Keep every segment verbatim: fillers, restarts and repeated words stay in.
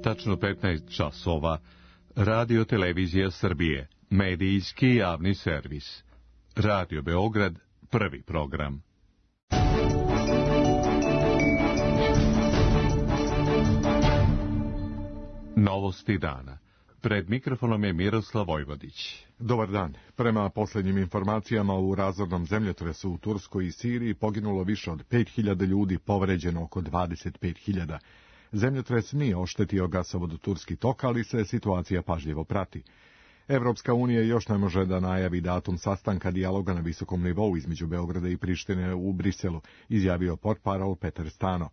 tačno petnaest časova. Radio Televizija Srbije, medijski javni servis. Radio Beograd, prvi program. Novosti dana. Pred mikrofonom je Miroslav Vojvodić. Dobar dan. Prema posljednjim informacijama, u razornom zemljotresu u Turskoj i Siriji poginulo više od pet hiljada ljudi, povređeno oko dvadeset pet hiljada. Zemljotres nije oštetio gasovod Turski tok, ali se situacija pažljivo prati. Evropska unija još ne može da najavi datum sastanka dijaloga na visokom nivou između Beograda i Prištine u Briselu, izjavio portparol Petar Stano.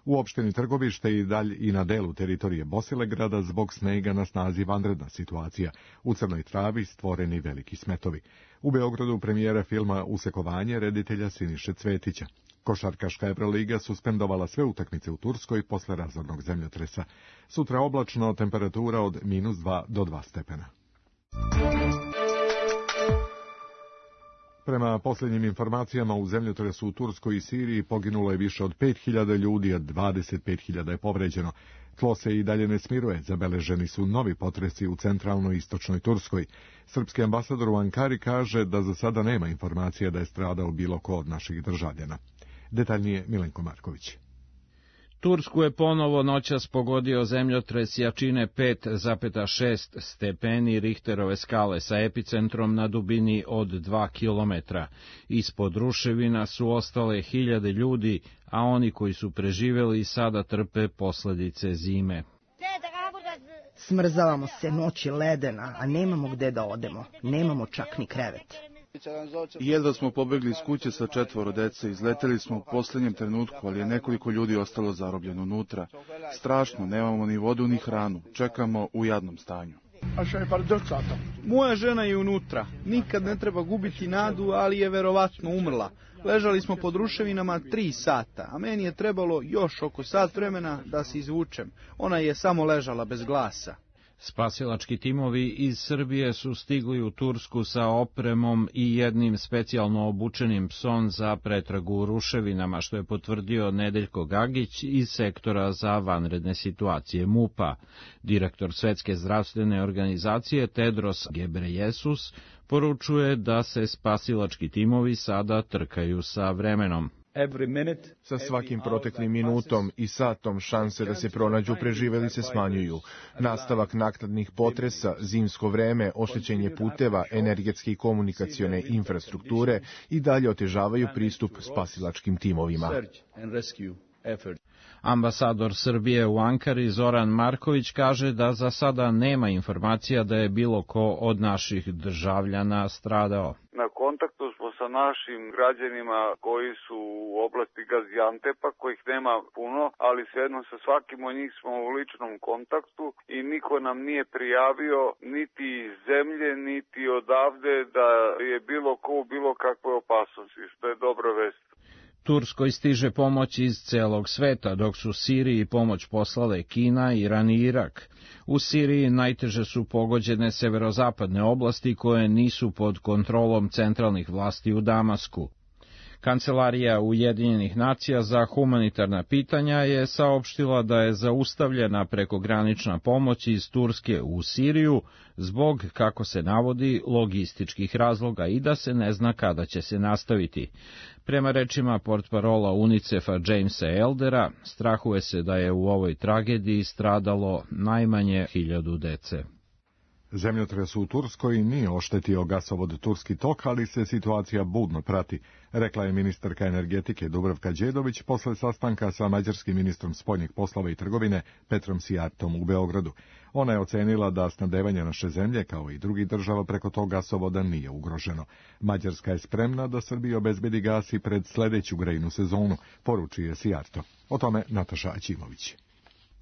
U opštini Trgovište i dalje i na delu teritorije Bosilegrada zbog snega na snazi vanredna situacija. U Crnoj Travi stvoreni veliki smetovi. U Beogradu premijera filma Usekovanje reditelja Siniše Cvetića. Košarkaška Evroliga suspendovala sve utakmice u Turskoj posle razornog zemljotresa. Sutra oblačno, temperatura od minus dva do dva stepena. Prema posljednjim informacijama, u zemljotresu u Turskoj i Siriji poginulo je više od pet hiljada ljudi, a dvadeset pet hiljada je povređeno. Tlo se i dalje ne smiruje, zabeleženi su novi potresi u centralnoj i istočnoj Turskoj. Srpski ambasador u Ankari kaže da za sada nema informacija da je stradao bilo ko od naših državljana. Detaljnije Milenko Marković. Tursku je ponovo noćas pogodio zemljotres jačine pet zarez šest stepeni Richterove skale sa epicentrom na dubini od dva kilometra. Ispod ruševina su ostale hiljade ljudi, a oni koji su preživeli sada trpe posledice zime. Smrzavamo se, noć je ledena, a nemamo gde da odemo. Nemamo čak ni krevet. Jedva smo pobegli iz kuće sa četvoro dece, izleteli smo u posljednjem trenutku, ali je nekoliko ljudi ostalo zarobljeno unutra. Strašno, nemamo ni vodu ni hranu, čekamo u jadnom stanju. Moja žena je unutra, nikad ne treba gubiti nadu, ali je verovatno umrla. Ležali smo pod ruševinama tri sata, a meni je trebalo još oko sat vremena da se izvučem. Ona je samo ležala bez glasa. Spasilački timovi iz Srbije su stigli u Tursku sa opremom i jednim specijalno obučenim psom za pretragu u ruševinama, što je potvrdio Nedeljko Gagić iz sektora za vanredne situacije MUP-a. Direktor Svetske zdravstvene organizacije Tedros Gebreyesus poručuje da se spasilački timovi sada trkaju sa vremenom. Sa svakim proteklim minutom i satom šanse da se pronađu preživeli se smanjuju. Nastavak naknadnih potresa, zimsko vreme, oštećenje puteva, energetske i komunikacione infrastrukture i dalje otežavaju pristup spasilačkim timovima. Ambasador Srbije u Ankari Zoran Marković kaže da za sada nema informacija da je bilo ko od naših državljana stradao. Na kontaktu smo sa našim građanima koji su u oblasti Gaziantepa, kojih nema puno, ali svejedno sa svakim od njih smo u ličnom kontaktu i niko nam nije prijavio niti iz zemlje, niti odavde da je bilo ko u bilo kakvoj opasnosti, što je dobra vest. Turskoj stiže pomoć iz celog sveta, dok su Siriji pomoć poslale Kina, Iran i Irak. U Siriji najteže su pogođene severozapadne oblasti koje nisu pod kontrolom centralnih vlasti u Damasku. Kancelarija Ujedinjenih nacija za humanitarna pitanja je saopštila da je zaustavljena prekogranična pomoć iz Turske u Siriju zbog, kako se navodi, logističkih razloga i da se ne zna kada će se nastaviti. Prema rečima portparola UNICEF-a Jamesa Eldera, strahuje se da je u ovoj tragediji stradalo najmanje hiljadu dece. Zemljotres u Turskoj nije oštetio gasovod Turski tok, ali se situacija budno prati, rekla je ministarka energetike Dubravka Đedović posle sastanka sa mađarskim ministrom spoljnih poslova i trgovine Petrom Sijartom u Beogradu. Ona je ocenila da snabdevanje naše zemlje, kao i drugih država preko tog gasovoda, nije ugroženo. Mađarska je spremna da Srbiji obezbedi gas i pred sledeću grejnu sezonu, poručuje Sijarto. O tome Nataša Aćimović.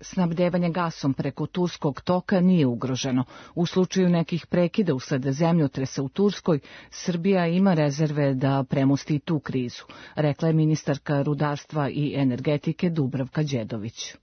Snabdevanje gasom preko Turskog toka nije ugroženo. U slučaju nekih prekida usled zemljotresa u Turskoj, Srbija ima rezerve da premosti tu krizu, rekla je ministarka rudarstva i energetike Dubravka Đedović.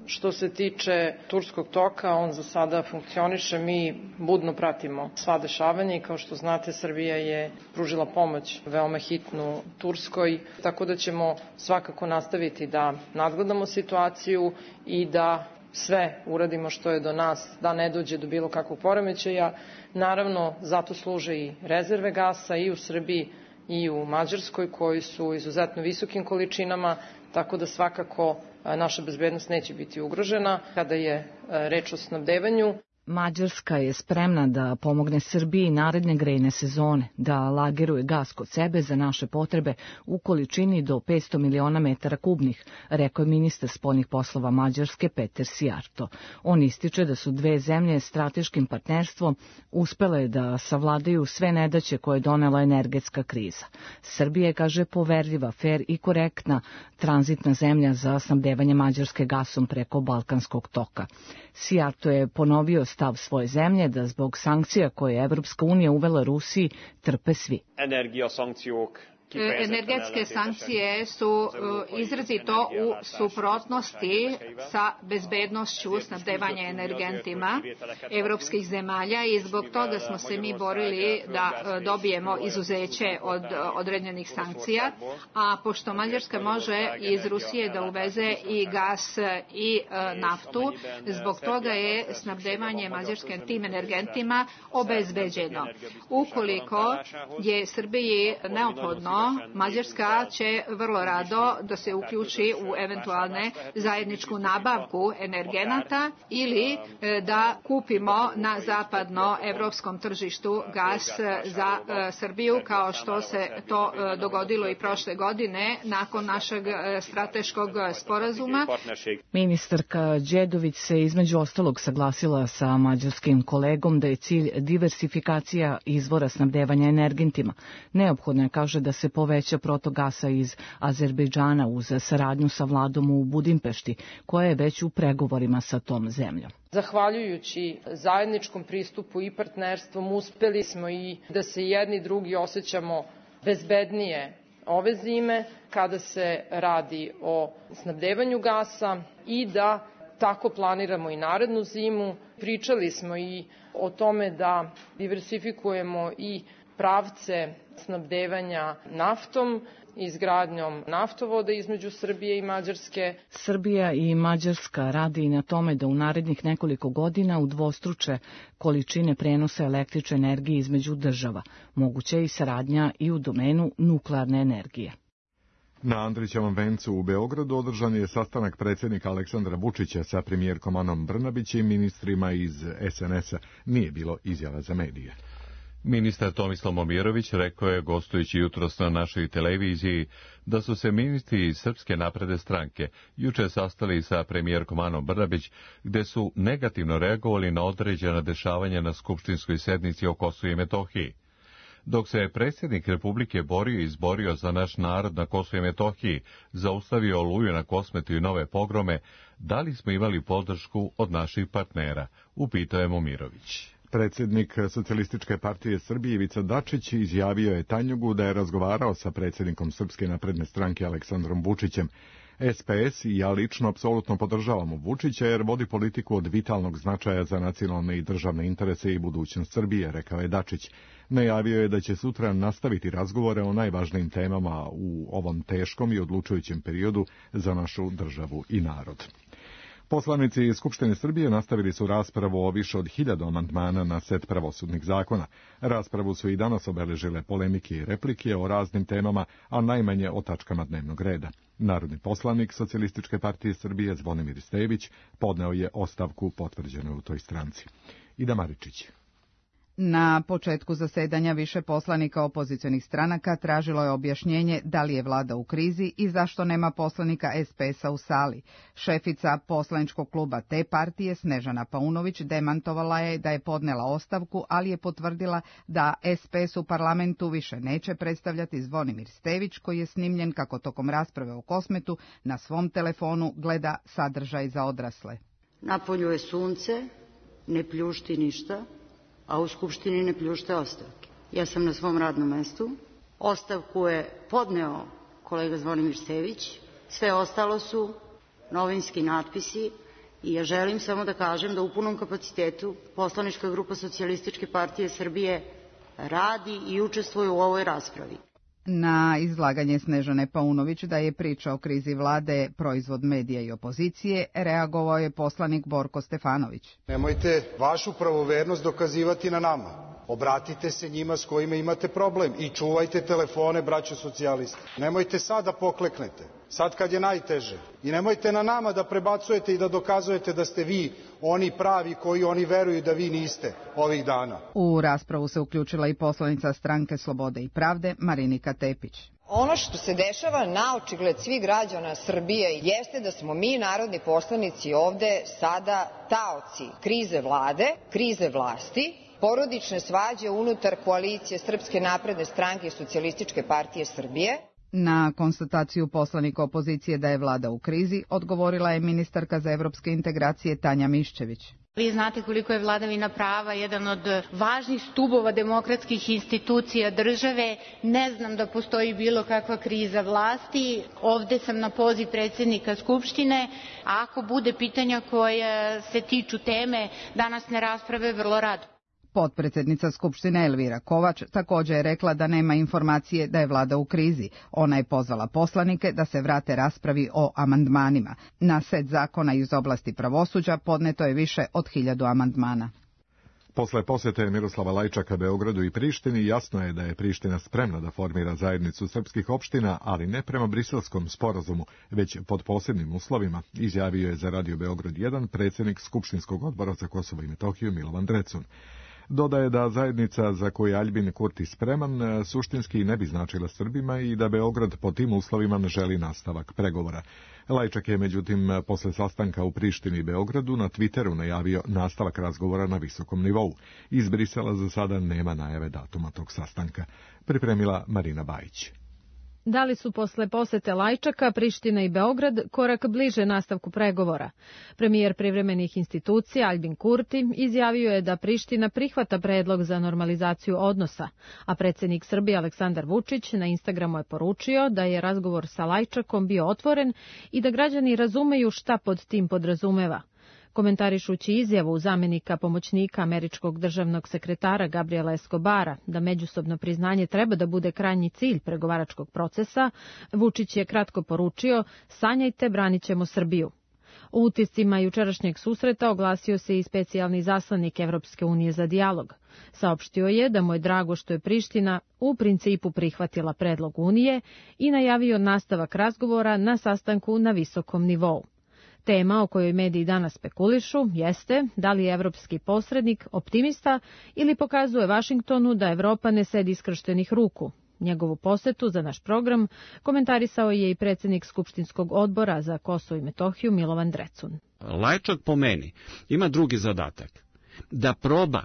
Što se tiče Turskog toka, on za sada funkcioniše, mi budno pratimo sva dešavanja i kao što znate, Srbija je pružila pomoć veoma hitnu Turskoj, tako da ćemo svakako nastaviti da nadgledamo situaciju i da sve uradimo što je do nas da ne dođe do bilo kakvog poremećaja. Naravno, zato služe i rezerve gasa i u Srbiji i u Mađarskoj, koji su u izuzetno visokim količinama, tako da svakako naša bezbednost neće biti ugrožena kada je reč o snabdevanju. Mađarska je spremna da pomogne Srbiji naredne grejne sezone, da lageruje gas kod sebe za naše potrebe u količini do petsto miliona metara kubnih, rekao je ministar spoljnih poslova Mađarske Peter Sijarto. On ističe da su dve zemlje strateškim partnerstvom uspele da savladaju sve nedaće koje je donela energetska kriza. Srbija je, kaže, poverljiva, fer i korektna tranzitna zemlja za snabdevanje Mađarske gasom preko Balkanskog toka. Sijarto je ponovio stav svoje zemlje da zbog sankcija koje je Evropska unija uvela Rusiji trpe svi. Energetske sankcije su izrazito u suprotnosti sa bezbednošću snabdevanja energentima evropskih zemalja i zbog toga smo se mi borili da dobijemo izuzeće od određenih sankcija, a pošto Mađarska može iz Rusije da uveze i gas i naftu, zbog toga je snabdevanje Mađarske tim energentima obezbeđeno. Ukoliko je Srbiji neophodno, Mađarska će vrlo rado da se uključi u eventualne zajedničku nabavku energenata ili da kupimo na zapadno evropskom tržištu gas za Srbiju, kao što se to dogodilo i prošle godine nakon našeg strateškog sporazuma. Ministarka Đedović se između ostalog saglasila sa mađarskim kolegom da je cilj diversifikacija izvora snabdevanja energentima. Neophodno je, kaže, da se poveća protok gasa iz Azerbejdžana uz saradnju sa vladom u Budimpešti, koja je već u pregovorima sa tom zemljom. Zahvaljujući zajedničkom pristupu i partnerstvom uspeli smo i da se jedni i drugi osjećamo bezbednije ove zime kada se radi o snabdevanju gasa i da tako planiramo i narednu zimu. Pričali smo i o tome da diversifikujemo i pravce snabdevanja naftom, izgradnjom naftovoda između Srbije i Mađarske. Srbija i Mađarska radi i na tome da u narednih nekoliko godina udvostruče količine prenosa električne energije između država. Moguća je i saradnja i u domenu nuklearne energije. Na Andrićevom vencu u Beogradu održan je sastanak predsjednika Aleksandra Vučića sa premijerkom Anom Brnabić i ministrima iz es en es a. Nije bilo izjava za medije. Ministar Tomislav Momirović rekao je, gostujući jutros na našoj televiziji, da su se ministri iz Srpske napredne stranke juče sastali sa premijerkom Anom Brnabić, gde su negativno reagovali na određena dešavanja na skupštinskoj sednici o Kosovu i Metohiji. Dok se je predsjednik Republike borio i izborio za naš narod na Kosovu i Metohiji, zaustavio Oluju na Kosmetu i nove pogrome, da li smo imali podršku od naših partnera, upitao je Momirović. Predsjednik Socijalističke partije Srbije Ivica Dačić izjavio je Tanjugu da je razgovarao sa predsjednikom Srpske napredne stranke Aleksandrom Vučićem. es pe es i ja lično apsolutno podržavamo Vučića jer vodi politiku od vitalnog značaja za nacionalne i državne interese i budućnost Srbije, rekao je Dačić. Najavio je da će sutra nastaviti razgovore o najvažnijim temama u ovom teškom i odlučujućem periodu za našu državu i narod. Poslanici Skupštine Srbije nastavili su raspravu o više od hiljadu amandmana na set pravosudnih zakona. Raspravu su i danas obeležile polemike i replike o raznim temama, a najmanje o tačkama dnevnog reda. Narodni poslanik Socijalističke partije Srbije Zvonimir Stević podneo je ostavku potvrđenu u toj stranci. Ida Maričić. Na početku zasedanja više poslanika opozicionih stranaka tražilo je objašnjenje da li je vlada u krizi i zašto nema poslanika es pe es a u sali. Šefica poslaničkog kluba te partije, Snežana Paunović, demantovala je da je podnela ostavku, ali je potvrdila da es pe es u parlamentu više neće predstavljati Zvonimir Stević, koji je snimljen kako tokom rasprave o Kosmetu na svom telefonu gleda sadržaj za odrasle. Napolju je sunce, ne pljušti ništa, a u Skupštini ne pljušte ostavke. Ja sam na svom radnom mestu. Ostavku je podneo kolega Zvonimir Stević. Sve ostalo su novinski natpisi i ja želim samo da kažem da u punom kapacitetu poslanička grupa Socijalističke partije Srbije radi i učestvuje u ovoj raspravi. Na izlaganje Snežane Paunović da je priča o krizi vlade proizvod medija i opozicije, reagovao je poslanik Borko Stefanović. Nemojte vašu pravovernost dokazivati na nama. Obratite se njima s kojima imate problem i čuvajte telefone, braćo socijalisti. Nemojte sad da pokleknete, sad kad je najteže. I nemojte na nama da prebacujete i da dokazujete da ste vi oni pravi koji oni veruju da vi niste ovih dana. U raspravu se uključila i poslanica Stranke Slobode i pravde Marinika Tepić. Ono što se dešava na očigled svih građana Srbije jeste da smo mi, narodni poslanici, ovde sada taoci krize vlade, krize vlasti, porodične svađe unutar koalicije Srpske napredne stranke i Socijalističke partije Srbije. Na konstataciju poslanika opozicije da je vlada u krizi odgovorila je ministarka za evropske integracije Tanja Miščević. Vi znate koliko je vladavina prava jedan od važnih stubova demokratskih institucija države. Ne znam da postoji bilo kakva kriza vlasti. Ovde sam na poziv predsjednika Skupštine. A ako bude pitanja koja se tiču teme današnje rasprave, vrlo rado. Potpredsjednica Skupštine Elvira Kovač također je rekla da nema informacije da je vlada u krizi. Ona je pozvala poslanike da se vrate raspravi o amandmanima. Na set zakona iz oblasti pravosuđa podneto je više od hiljadu amandmana. Posle posjete Miroslava Lajčaka Beogradu i Prištini jasno je da je Priština spremna da formira zajednicu srpskih opština, ali ne prema briselskom sporazumu, već pod posebnim uslovima, izjavio je za Radio Beograd jedan predsjednik Skupštinskog odbora za Kosovo i Metohiju Milovan Drecun. Dodaje da zajednica za koju je Aljbin Kurti spreman suštinski ne bi značila Srbima i da Beograd po tim uslovima ne želi nastavak pregovora. Lajčak je međutim posle sastanka u Prištini i Beogradu na Twitteru najavio nastavak razgovora na visokom nivou. Iz Brisela za sada nema najave datuma tog sastanka. Pripremila Marina Bajić. Da li su posle posete Lajčaka, Priština i Beograd korak bliže nastavku pregovora? Premijer privremenih institucija Aljbin Kurti izjavio je da Priština prihvata predlog za normalizaciju odnosa, a predsjednik Srbije Aleksandar Vučić na Instagramu je poručio da je razgovor sa Lajčakom bio otvoren i da građani razumeju šta pod tim podrazumeva. Komentarišući izjavu zamjenika pomoćnika američkog državnog sekretara Gabriela Escobara da međusobno priznanje treba da bude krajnji cilj pregovaračkog procesa, Vučić je kratko poručio: sanjajte, branit ćemo Srbiju. U utiscima jučerašnjeg susreta oglasio se i specijalni zaslanik Evropske unije za dijalog. Saopštio je da mu je drago što je Priština u principu prihvatila predlog Unije i najavio nastavak razgovora na sastanku na visokom nivou. Tema o kojoj mediji danas spekulišu jeste da li je evropski posrednik optimista ili pokazuje Vašingtonu da Evropa ne sedi iskrštenih ruku. Njegovu posetu za naš program komentarisao je i predsjednik Skupštinskog odbora za Kosovo i Metohiju Milovan Drecun. Lajčak po meni ima drugi zadatak, da proba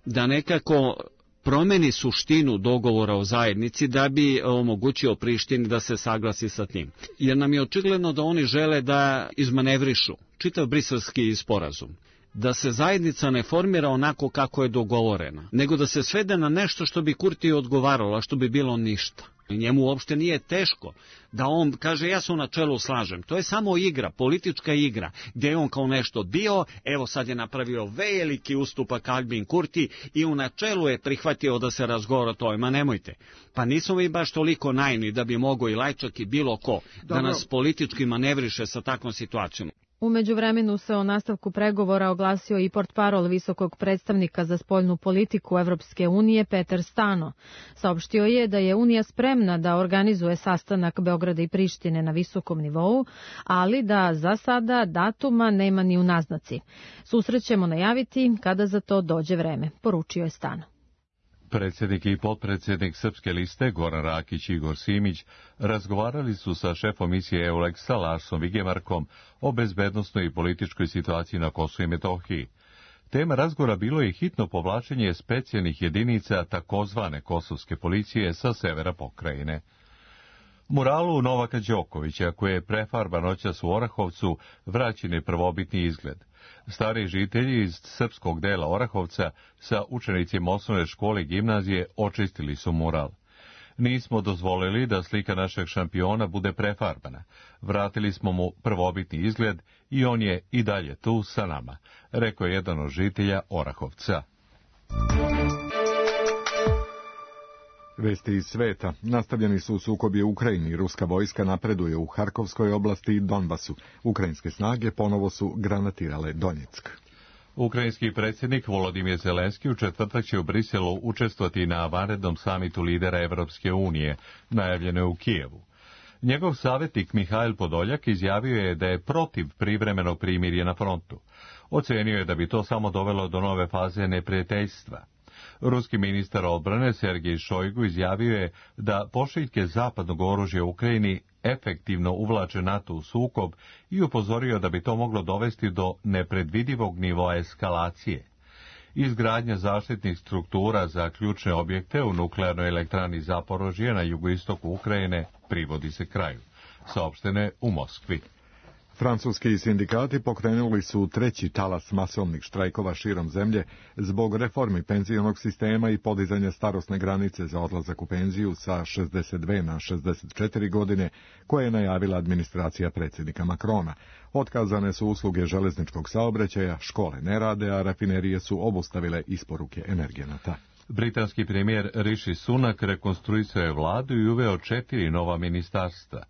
da nekako promeni suštinu dogovora o zajednici da bi omogućio Prištini da se saglasi sa tim. Jer nam je očigledno da oni žele da izmanevrišu čitav briselski sporazum. Da se zajednica ne formira onako kako je dogovorena, nego da se svede na nešto što bi Kurti odgovaralo, a što bi bilo ništa. Njemu uopšte nije teško da on kaže ja se u načelu slažem. To je samo igra, politička igra, gdje je on kao nešto bio, evo sad je napravio veliki ustupak Aljbin Kurti i u načelu je prihvatio da se razgovara o tome. Ma nemojte, pa nismo mi baš toliko naivni da bi mogao i Lajčak i bilo ko Dobro. da nas politički manevriše sa takvom situacijom. U međuvremenu se o nastavku pregovora oglasio i portparol visokog predstavnika za spoljnu politiku Evropske unije Peter Stano. Saopštio je da je Unija spremna da organizuje sastanak Beograda i Prištine na visokom nivou, ali da za sada datuma nema ni u naznaci. Susret ćemo najaviti kada za to dođe vreme, poručio je Stano. Predsjednik i potpredsjednik Srpske liste Goran Rakić i Igor Simić razgovarali su sa šefom misije EULEX-a Larsom Vigemarkom o bezbednosnoj i političkoj situaciji na Kosovu i Metohiji. Tema razgovora bilo je hitno povlačenje specijalnih jedinica takozvane kosovske policije sa severa pokrajine. Muralu Novaka Đokovića, koji je prefarban noćas u Orahovcu, vraćen je prvobitni izgled. Stari žitelji iz srpskog dela Orahovca sa učenicima osnovne škole i gimnazije očistili su mural. Nismo dozvolili da slika našeg šampiona bude prefarbana. Vratili smo mu prvobitni izgled i on je i dalje tu sa nama, rekao je jedan od žitelja Orahovca. Vesti iz sveta. Nastavljeni su sukobi u Ukrajini. Ruska vojska napreduje u Harkovskoj oblasti i Donbasu. Ukrajinske snage ponovo su granatirale Donjeck. Ukrajinski predsjednik Volodimir Zelenski u četvrtak će u Briselu učestvovati na vanrednom samitu lidera Evropske unije, najavljeno je u Kijevu. Njegov savjetnik Mihail Podoljak izjavio je da je protiv privremenog primirja na frontu. Ocenio je da bi to samo dovelo do nove faze neprijateljstva. Ruski ministar odbrane Sergej Šojgu izjavio je da pošiljke zapadnog oružja u Ukrajini efektivno uvlače NATO u sukob i upozorio da bi to moglo dovesti do nepredvidivog nivoa eskalacije. Izgradnja zaštitnih struktura za ključne objekte u nuklearnoj elektrani Zaporožje na jugoistoku Ukrajine privodi se kraju, saopštene u Moskvi. Francuski sindikati pokrenuli su treći talas masovnih štrajkova širom zemlje zbog reformi penzionog sistema i podizanja starosne granice za odlazak u penziju sa šezdeset dve na šezdeset četiri godine, koje je najavila administracija predsjednika Macrona. Otkazane su usluge železničkog saobraćaja, škole ne rade, a rafinerije su obustavile isporuke energenata. Britanski premijer Rishi Sunak rekonstruisao je vladu i uveo četiri nova ministarstva.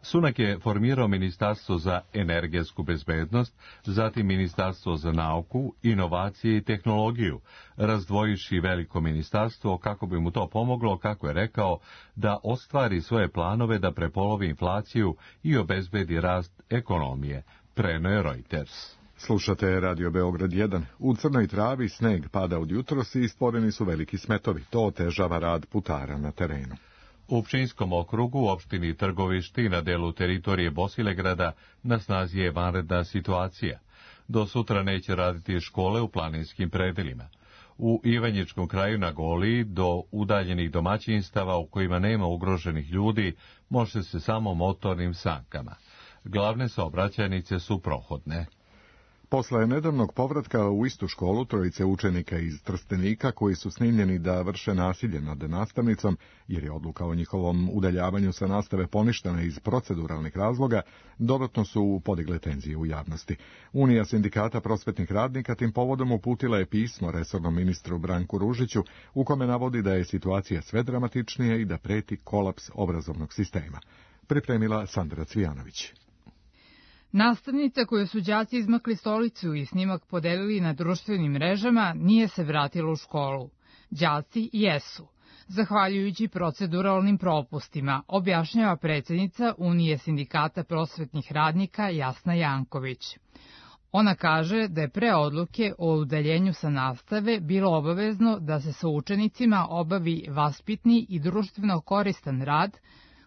Sunak je formirao Ministarstvo za energetsku bezbednost, zatim Ministarstvo za nauku, inovacije i tehnologiju, razdvojivši veliko ministarstvo kako bi mu to pomoglo, kako je rekao, da ostvari svoje planove da prepolovi inflaciju i obezbedi rast ekonomije, preneo je Reuters. Slušate Radio Beograd jedan. U Crnoj Travi sneg pada od jutros i stvoreni su veliki smetovi. To otežava rad putara na terenu. U Pčinjskom okrugu, u opštini Trgovišti, na delu teritorije Bosilegrada, na snazi je vanredna situacija. Do sutra neće raditi škole u planinskim predelima. U Ivanjičkom kraju na Goliji, do udaljenih domaćinstava u kojima nema ugroženih ljudi, može se samo motornim sankama. Glavne saobraćajnice su prohodne. Posle nedavnog povratka u istu školu trojice učenika iz Trstenika koji su snimljeni da vrše nasilje nad nastavnicom, jer je odluka o njihovom udaljavanju sa nastave poništena iz proceduralnih razloga, dodatno su podigle tenzije u javnosti. Unija sindikata prosvetnih radnika tim povodom uputila je pismo resornom ministru Branku Ružiću, u kome navodi da je situacija sve dramatičnija i da preti kolaps obrazovnog sistema. Pripremila Sandra Cvijanović. Nastavnica koju su đaci izmakli stolicu i snimak podelili na društvenim mrežama nije se vratila u školu. Đaci jesu, zahvaljujući proceduralnim propustima, objašnjava predsjednica Unije sindikata prosvetnih radnika Jasna Janković. Ona kaže da je pre odluke o udaljenju sa nastave bilo obavezno da se sa učenicima obavi vaspitni i društveno koristan rad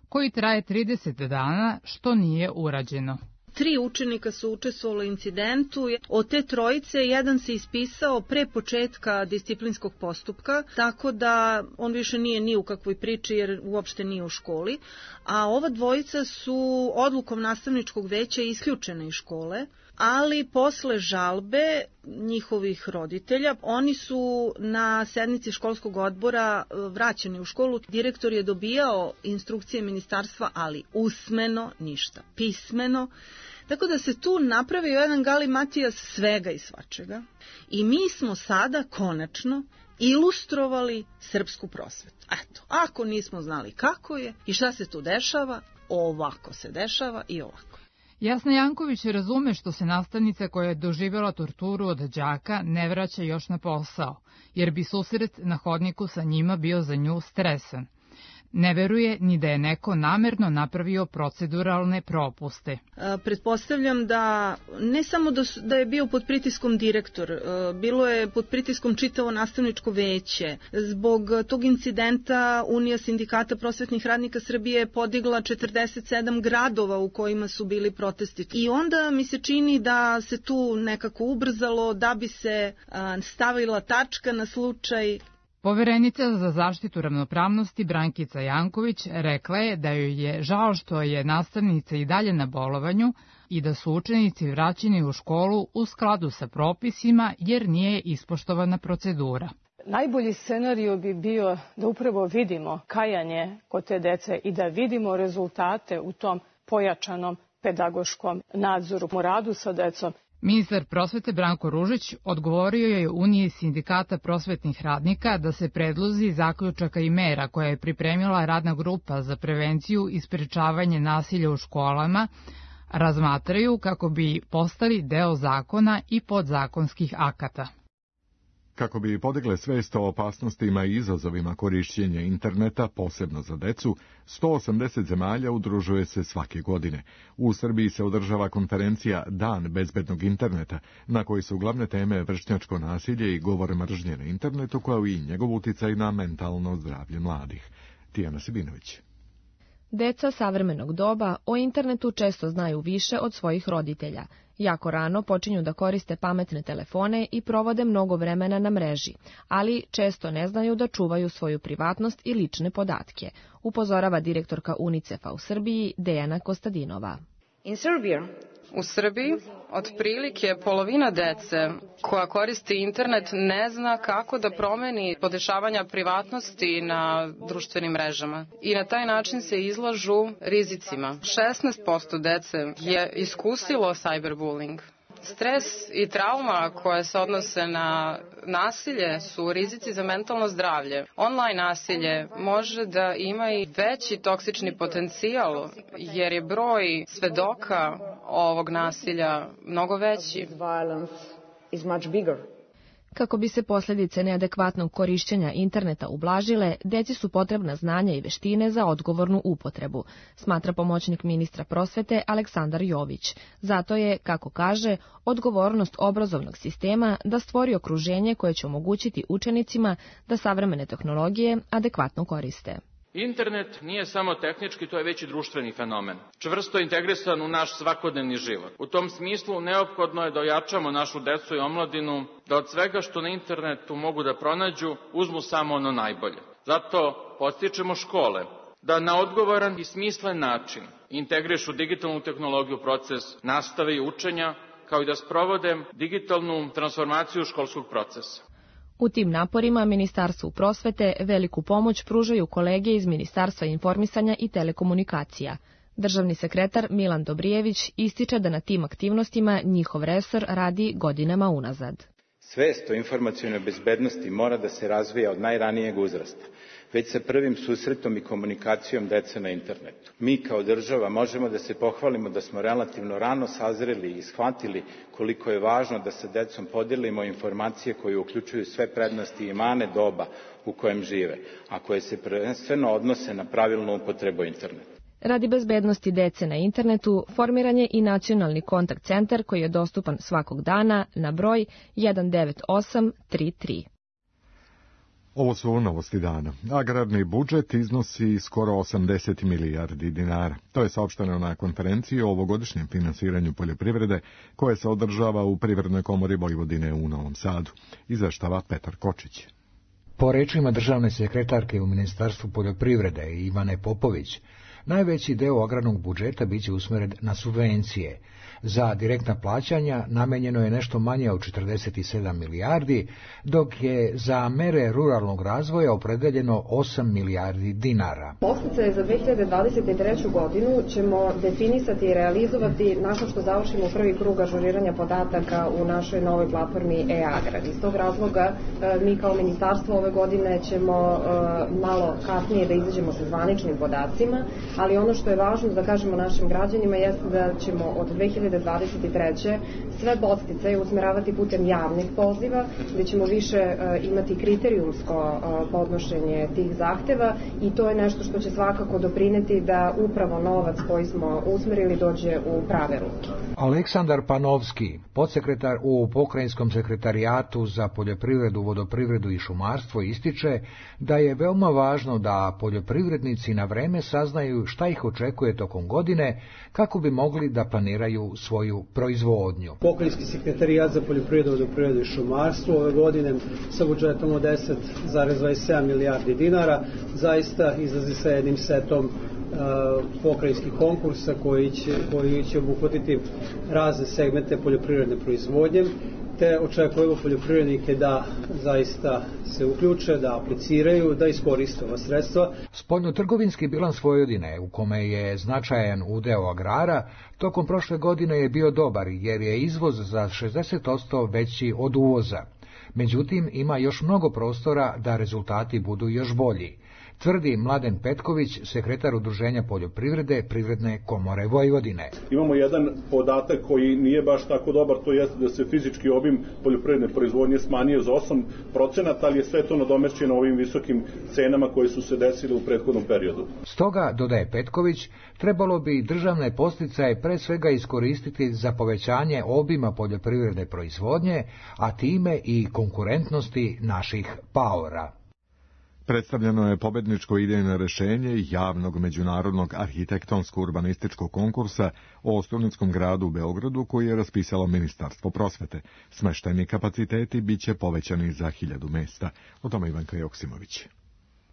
koji traje trideset dana, što nije urađeno. Tri učenika su učestvovali u incidentu. Od te trojice jedan se ispisao pre početka disciplinskog postupka, tako da on više nije ni u kakvoj priči jer uopšte nije u školi. A ova dvojica su odlukom nastavničkog veća isključene iz škole, ali posle žalbe njihovih roditelja, oni su na sednici školskog odbora vraćeni u školu. Direktor je dobijao instrukcije ministarstva, ali usmeno ništa, pismeno. Tako da se tu napravio jedan galimatijas svega i svačega. I mi smo sada konačno ilustrovali srpsku prosvetu. Eto, ako nismo znali kako je i šta se tu dešava, ovako se dešava i ovako. Jasna Janković razume što se nastavnica koja je doživjela torturu od đaka ne vraća još na posao, jer bi susret na hodniku sa njima bio za nju stresan. Ne veruje ni da je neko namerno napravio proceduralne propuste. E, pretpostavljam da ne samo da, su, da je bio pod pritiskom direktor, e, bilo je pod pritiskom čitavo nastavničko veće. Zbog tog incidenta Unija sindikata prosvetnih radnika Srbije je podigla četrdeset sedam gradova u kojima su bili protesti. I onda mi se čini da se tu nekako ubrzalo da bi se a, stavila tačka na slučaj. Poverenica za zaštitu ravnopravnosti Brankica Janković rekla je da joj je žao što je nastavnica i dalje na bolovanju i da su učenici vraćeni u školu u skladu sa propisima jer nije ispoštovana procedura. Najbolji scenario bi bio da upravo vidimo kajanje kod te dece i da vidimo rezultate u tom pojačanom pedagoškom nadzoru u radu sa decom. Ministar prosvete Branko Ružić odgovorio je Uniji sindikata prosvetnih radnika da se predlozi zaključaka i mera koje je pripremila radna grupa za prevenciju i sprečavanje nasilja u školama razmatraju kako bi postali deo zakona i podzakonskih akata. Kako bi podigle svest o opasnostima i izazovima korišćenja interneta, posebno za decu, sto osamdeset zemalja udružuje se svake godine. U Srbiji se održava konferencija Dan bezbednog interneta, na kojoj su glavne teme vršnjačko nasilje i govor mržnje na internetu, kao i njegov uticaj na mentalno zdravlje mladih. Tijana Sibinović. Deca savremenog doba o internetu često znaju više od svojih roditelja. Jako rano počinju da koriste pametne telefone i provode mnogo vremena na mreži, ali često ne znaju da čuvaju svoju privatnost i lične podatke, upozorava direktorka UNICEF-a u Srbiji Dejana Kostadinova. U Srbiji otprilike polovina dece koja koristi internet ne zna kako da promeni podešavanja privatnosti na društvenim mrežama i na taj način se izlažu rizicima. šesnaest posto dece je iskusilo cyberbullying. Stres i trauma koje se odnose na nasilje su rizici za mentalno zdravlje. Online nasilje može da ima i veći toksični potencijal jer je broj svedoka ovog nasilja mnogo veći. Kako bi se posljedice neadekvatnog korišćenja interneta ublažile, deci su potrebna znanja i veštine za odgovornu upotrebu, smatra pomoćnik ministra prosvete Aleksandar Jović. Zato je, kako kaže, odgovornost obrazovnog sistema da stvori okruženje koje će omogućiti učenicima da savremene tehnologije adekvatno koriste. Internet nije samo tehnički, to je već i društveni fenomen. Čvrsto integrisan u naš svakodnevni život. U tom smislu neophodno je da ojačamo našu decu i omladinu, da od svega što na internetu mogu da pronađu, uzmu samo ono najbolje. Zato podstičemo škole da na odgovoran i smislen način integrišu digitalnu tehnologiju u proces nastave i učenja, kao i da sprovode digitalnu transformaciju školskog procesa. U tim naporima Ministarstvu prosvete veliku pomoć pružaju kolege iz Ministarstva informisanja i telekomunikacija. Državni sekretar Milan Dobrijević ističe da na tim aktivnostima njihov resor radi godinama unazad. Svest o informacionoj bezbednosti mora da se razvija od najranijeg uzrasta, već sa prvim susretom i komunikacijom dece na internetu. Mi kao država možemo da se pohvalimo da smo relativno rano sazreli i shvatili koliko je važno da sa decom podelimo informacije koje uključuju sve prednosti i mane doba u kojem žive, a koje se prvenstveno odnose na pravilnu upotrebu interneta. Radi bezbednosti dece na internetu formiran je i nacionalni kontakt centar koji je dostupan svakog dana na broj jedan devet osam tri tri. Ovo su novosti dana. Agrarni budžet iznosi skoro osamdeset milijardi dinara. To je saopšteno na konferenciji o ovogodišnjem finansiranju poljoprivrede koja se održava u Privrednoj komori Vojvodine u Novom Sadu. Izveštava Petar Kočić. Po rečima državne sekretarke u Ministarstvu poljoprivrede Ivane Popović, najveći deo agrarnog budžeta biće usmjeren na subvencije. Za direktna plaćanja namenjeno je nešto manje od četrdeset sedam milijardi, dok je za mere ruralnog razvoja opredeljeno osam milijardi dinara. Podsticaje za dve hiljade dvadeset treću. godinu ćemo definisati i realizovati nakon što završimo prvi krug ažuriranja podataka u našoj novoj platformi e-agrar. Iz tog razloga mi kao ministarstvo ove godine ćemo malo kasnije da izađemo sa zvaničnim podacima, ali ono što je važno da kažemo našim građanima jeste da ćemo od dve hiljade dvadeset treće. sve podsticaje usmeravati putem javnih poziva, gde ćemo više imati kriterijumsko podnošenje tih zahteva i to je nešto što će svakako doprineti da upravo novac koji smo usmerili dođe u prave ruke. Aleksandar Panovski, podsekretar u Pokrajinskom sekretarijatu za poljoprivredu, vodoprivredu i šumarstvo, ističe da je veoma važno da poljoprivrednici na vreme saznaju šta ih očekuje tokom godine kako bi mogli da planiraju svoju proizvodnju. Pokrajinski sekretarijat za poljoprivredu, vodoprivredu i šumarstvo ove godine sa budžetom od deset zarez dvadeset sedam milijardi dinara zaista izlazi sa jednim setom uh, pokrajinskih konkursa koji će, koji će obuhvatiti razne segmente poljoprivredne proizvodnje te očekujemo poljoprivrednike da zaista se uključe, da apliciraju, da iskoriste ova sredstva. Spoljnotrgovinski bilans Vojvodine, u kome je značajan udeo agrara, tokom prošle godine je bio dobar jer je izvoz za šezdeset posto veći od uvoza. Međutim, ima još mnogo prostora da rezultati budu još bolji, tvrdi Mladen Petković, sekretar Udruženja poljoprivrede Privredne komore Vojvodine. Imamo jedan podatak koji nije baš tako dobar, to jeste da se fizički obim poljoprivredne proizvodnje smanjio za osam procenata, ali je sve to nadomešćeno ovim visokim cenama koje su se desile u prethodnom periodu. Stoga, dodaje Petković, trebalo bi državne podsticaje pre svega iskoristiti za povećanje obima poljoprivredne proizvodnje, a time i konkurentnosti naših paora. Predstavljeno je pobedničko idejno rešenje javnog međunarodnog arhitektonsko-urbanističkog konkursa o studentskom gradu u Beogradu koji je raspisalo Ministarstvo prosvete. Smeštajni kapaciteti biće povećani za hiljadu mesta. O tome Ivanka Joksimović.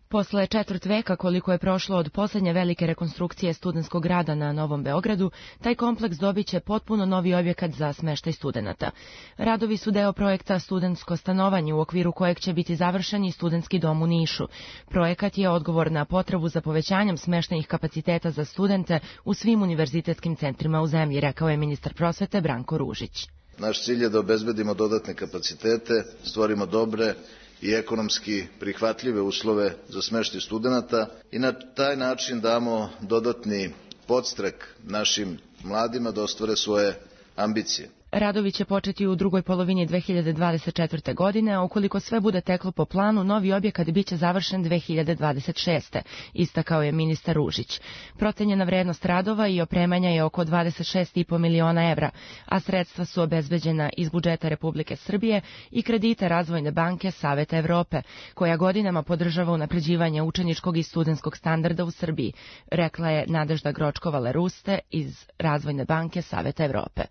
Posle četvrt veka koliko je prošlo od poslednje velike rekonstrukcije studentskog grada na Novom Beogradu, taj kompleks dobiće potpuno novi objekat za smeštaj studenata. Radovi su deo projekta Studentsko stanovanje u okviru kojeg će biti završen i studentski dom u Nišu. Projekat je odgovor na potrebu za povećanjem smeštajnih kapaciteta za studente u svim univerzitetskim centrima u zemlji, rekao je ministar prosvete Branko Ružić. Naš cilj je da obezbedimo dodatne kapacitete, stvorimo dobre i ekonomski prihvatljive uslove za smeštaj studenata i na taj način damo dodatni podstrek našim mladima da ostvare svoje ambicije. Radovi će početi u drugoj polovini dve hiljade dvadeset četvrte. godine, a ukoliko sve bude teklo po planu, novi objekat biće završen dve hiljade dvadeset šeste. istakao je ministar Ružić. Procenjena vrednost radova i opremanja je oko dvadeset šest i po miliona evra, a sredstva su obezbeđena iz budžeta Republike Srbije i kredita Razvojne banke Saveta Evrope, koja godinama podržava unapređivanje učeničkog i studentskog standarda u Srbiji, rekla je Nadežda Gročkova-Leruste iz Razvojne banke Saveta Evrope.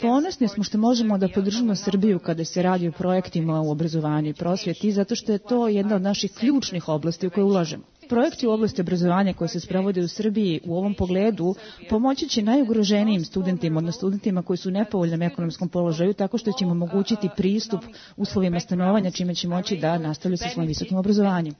Ponosni smo što možemo da podržimo Srbiju kada se radi o projektima u obrazovanju i prosvjeti, zato što je to jedna od naših ključnih oblasti u koje ulažemo. Projekti u oblasti obrazovanja koji se sprovode u Srbiji u ovom pogledu pomoći će najugroženijim studentima, odnosno studentima koji su u nepovoljnom ekonomskom položaju, tako što ćemo omogućiti pristup uslovima stanovanja, čime će moći da nastavljaju sa svojim visokim obrazovanjem.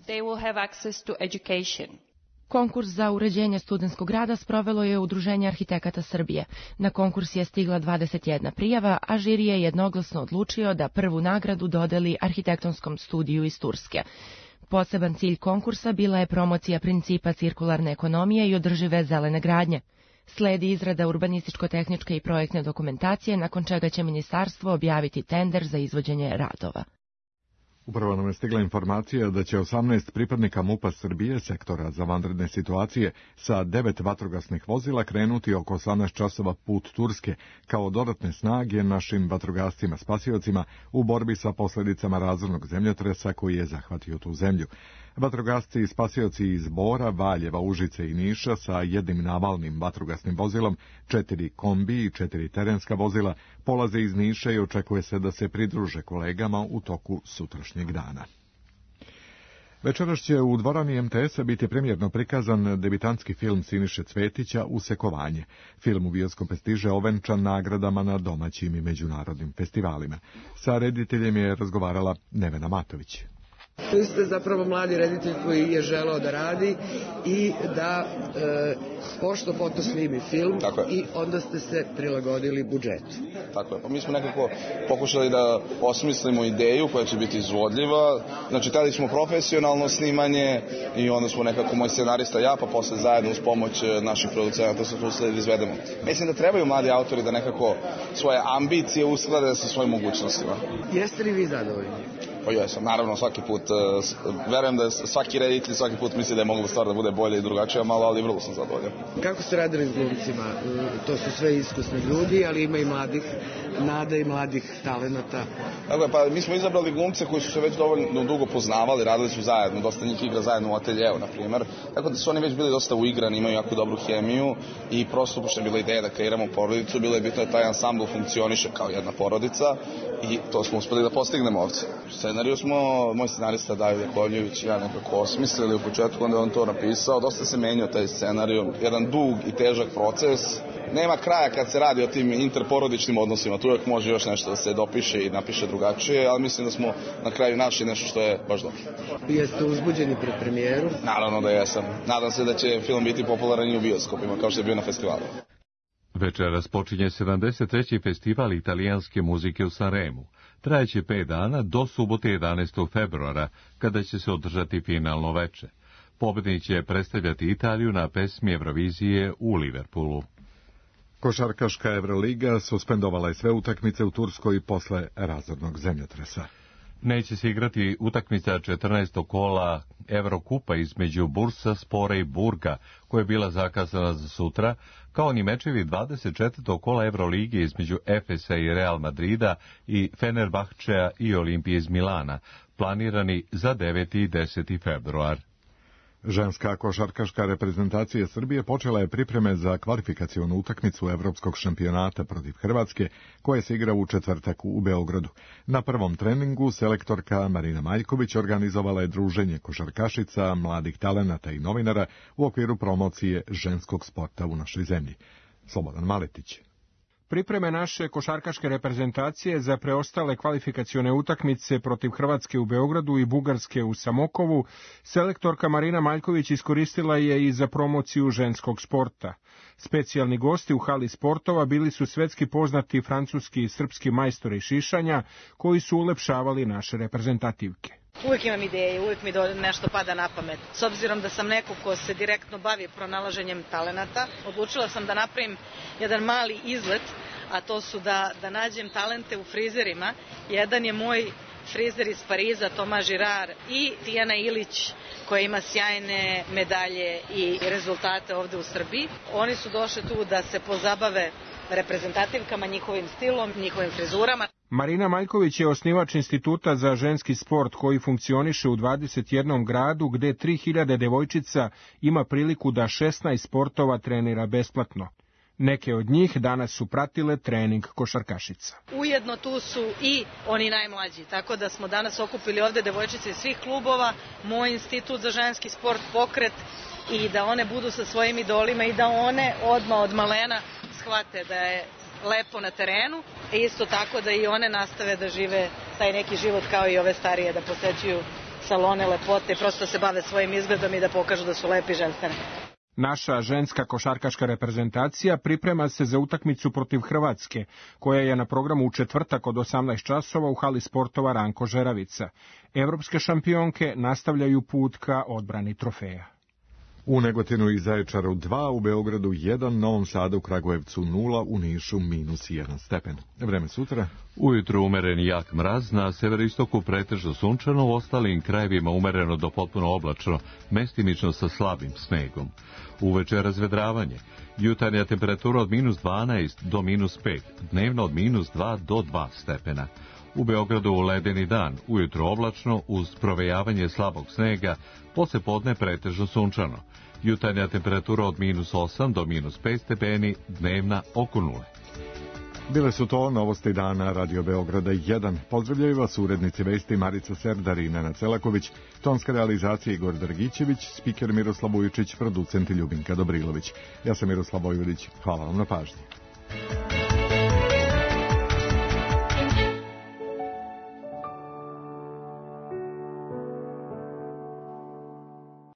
Konkurs za uređenje studentskog grada sprovelo je Udruženje arhitekata Srbije. Na konkurs je stigla dvadeset jedna prijava, a žiri je jednoglasno odlučio da prvu nagradu dodeli arhitektonskom studiju iz Turske. Poseban cilj konkursa bila je promocija principa cirkularne ekonomije i održive zelene gradnje. Sledi izrada urbanističko-tehničke i projektne dokumentacije, nakon čega će ministarstvo objaviti tender za izvođenje radova. Upravo nam je stigla informacija da će osamnaest pripadnika MUP-a Srbije, sektora za vanredne situacije, sa devet vatrogasnih vozila krenuti oko osamnaest časova put Turske kao dodatne snage našim vatrogascima spasiocima u borbi sa posljedicama razornog zemljotresa koji je zahvatio tu zemlju. Vatrogasci i spasioci iz Bora, Valjeva, Užice i Niša sa jednim navalnim vatrogasnim vozilom, četiri kombi i četiri terenska vozila polaze iz Niša i očekuje se da se pridruže kolegama u toku sutrašnjeg dana. Večeras će u dvorani em te es-a biti premijerno prikazan debitanski film Siniše Cvetića Usekovanje. Film u bioskope stiže ovenčan nagradama na domaćim i međunarodnim festivalima. Sa rediteljem je razgovarala Nevena Matović. Vi ste zapravo mladi reditelj koji je želeo da radi i da e, pošto foto snimi film i onda ste se prilagodili budžetu. Tako je, pa mi smo nekako pokušali da osmislimo ideju koja će biti izvodljiva. Znači, tada smo profesionalno snimanje i onda smo nekako moj scenarista ja, pa posle zajedno uz pomoć naših producenata se usledi da izvedemo. Mislim da trebaju mladi autori da nekako svoje ambicije usklade sa svojim mogućnostima. Jeste li vi zadovoljni? Pa jesam, naravno svaki put, verujem da svaki reditelj svaki put misli da je mogla stvar da bude bolje i drugačija malo, ali vrlo sam zadovoljan. Kako ste radili s glumcima? To su sve iskusni ljudi, ali ima i mladih nada i mladih talenata. Dakle, pa mi smo izabrali glumce koji su se već dovoljno dugo poznavali, radili su zajedno, dosta njih igra zajedno u ateljeu, na primjer. Tako da su oni već bili dosta uigrani, imaju jako dobru hemiju i prosto pošto je bila ideja da kreiramo porodicu, bilo je bitno da taj ansambl funkcioniše kao jedna porodica i to smo uspeli da postignemo ovdje. Scenariju smo, moj scenarista David Jakovljević i ja nekako osmislili u početku, onda je on to napisao, dosta se menjao taj scenariju, jedan dug i težak proces. Nema kraja kad se radi o tim interporodičnim odnosima, tu uvek može još nešto da se dopiše i napiše drugačije, ali mislim da smo na kraju našli nešto što je baš dobro. Jeste uzbuđeni pred premijeru? Naravno da jesam. Nadam se da će film biti popularan i u bioskopima, kao što je bio na festivalu. Večeras počinje sedamdeset treći festival italijanske muzike u Sanremu. Trajeće pet dana do subote jedanaestog februara, kada će se održati finalno veče. Pobednik će predstavljati Italiju na pesmi Eurovizije u Liverpoolu. Košarkaška Evroliga suspendovala je sve utakmice u Turskoj posle razornog zemljotresa. Neće se igrati utakmica četrnaestog kola Evrokupa između Bursaspora i Burga, koja je bila zakazana za sutra, kao ni mečevi dvadeset četvrtog kola Evrolige između Efesa i Real Madrida i Fenerbahčea i Olimpije iz Milana, planirani za deveti i deseti februar. Ženska košarkaška reprezentacija Srbije počela je pripreme za kvalifikacionu utakmicu Evropskog šampionata protiv Hrvatske, koja se igra u četvrtak u Beogradu. Na prvom treningu selektorka Marina Maljković organizovala je druženje košarkašica, mladih talenata i novinara u okviru promocije ženskog sporta u našoj zemlji. Slobodan Maletić. Pripreme naše košarkaške reprezentacije za preostale kvalifikacione utakmice protiv Hrvatske u Beogradu i Bugarske u Samokovu, selektorka Marina Maljković iskoristila je i za promociju ženskog sporta. Specijalni gosti u hali sportova bili su svetski poznati francuski i srpski majstori šišanja, koji su ulepšavali naše reprezentativke. Uvijek imam ideje, uvijek mi nešto pada na pamet. S obzirom da sam neko ko se direktno bavi pronalaženjem talenata, odlučila sam da napravim jedan mali izlet, a to su da, da nađem talente u frizerima. Jedan je moj frizer iz Pariza, Toma Girard, i Tijana Ilić, koja ima sjajne medalje i rezultate ovde u Srbiji. Oni su došli tu da se pozabave reprezentativkama, njihovim stilom, njihovim frizurama. Marina Maljković je osnivač Instituta za ženski sport koji funkcioniše u dvadeset jednom gradu, gde tri hiljade devojčica ima priliku da šesnaest sportova trenira besplatno. Neke od njih danas su pratile trening košarkašica. Ujedno tu su i oni najmlađi, tako da smo danas okupili ovde devojčice iz svih klubova, moj institut za ženski sport, pokret, i da one budu sa svojim idolima i da one odmah od malena shvate da je lepo na terenu, i isto tako da i one nastave da žive taj neki život kao i ove starije, da posećuju salone lepote i prosto se bave svojim izgledom i da pokažu da su lepi ženstveni. Naša ženska košarkaška reprezentacija priprema se za utakmicu protiv Hrvatske, koja je na programu u četvrtak od osamnaest časova u hali sportova Ranko Žeravica. Evropske šampionke nastavljaju put ka odbrani trofeja. U Negotinu i Zaječaru dva, u Beogradu jedan, Novom Sadu, u Kragujevcu nula, u Nišu minus jedan stepen. Vreme sutra. Ujutro umeren jak mraz, na severistoku pretežno sunčano, u ostalim krajevima umereno do potpuno oblačno, mestimično sa slabim snegom. Uveče razvedravanje. Jutarnja temperatura od minus dvanaest do minus pet, dnevno od minus dva do dva stepena. U Beogradu ledeni dan, ujutro oblačno, uz provejavanje slabog snega, posle podne pretežno sunčano. Jutarnja temperatura od minus osam do minus pet stepeni, dnevna oko nule. Bile su to novosti dana Radio Beograda jedan. Pozdravljaju vas urednici vesti Marica Serdar i Nenad Celaković, tonska realizacija Igor Dragićević, spiker Miroslav Vujičić, producent Ljubinka Dobrilović. Ja sam Miroslav Vojvodić, hvala vam na pažnji.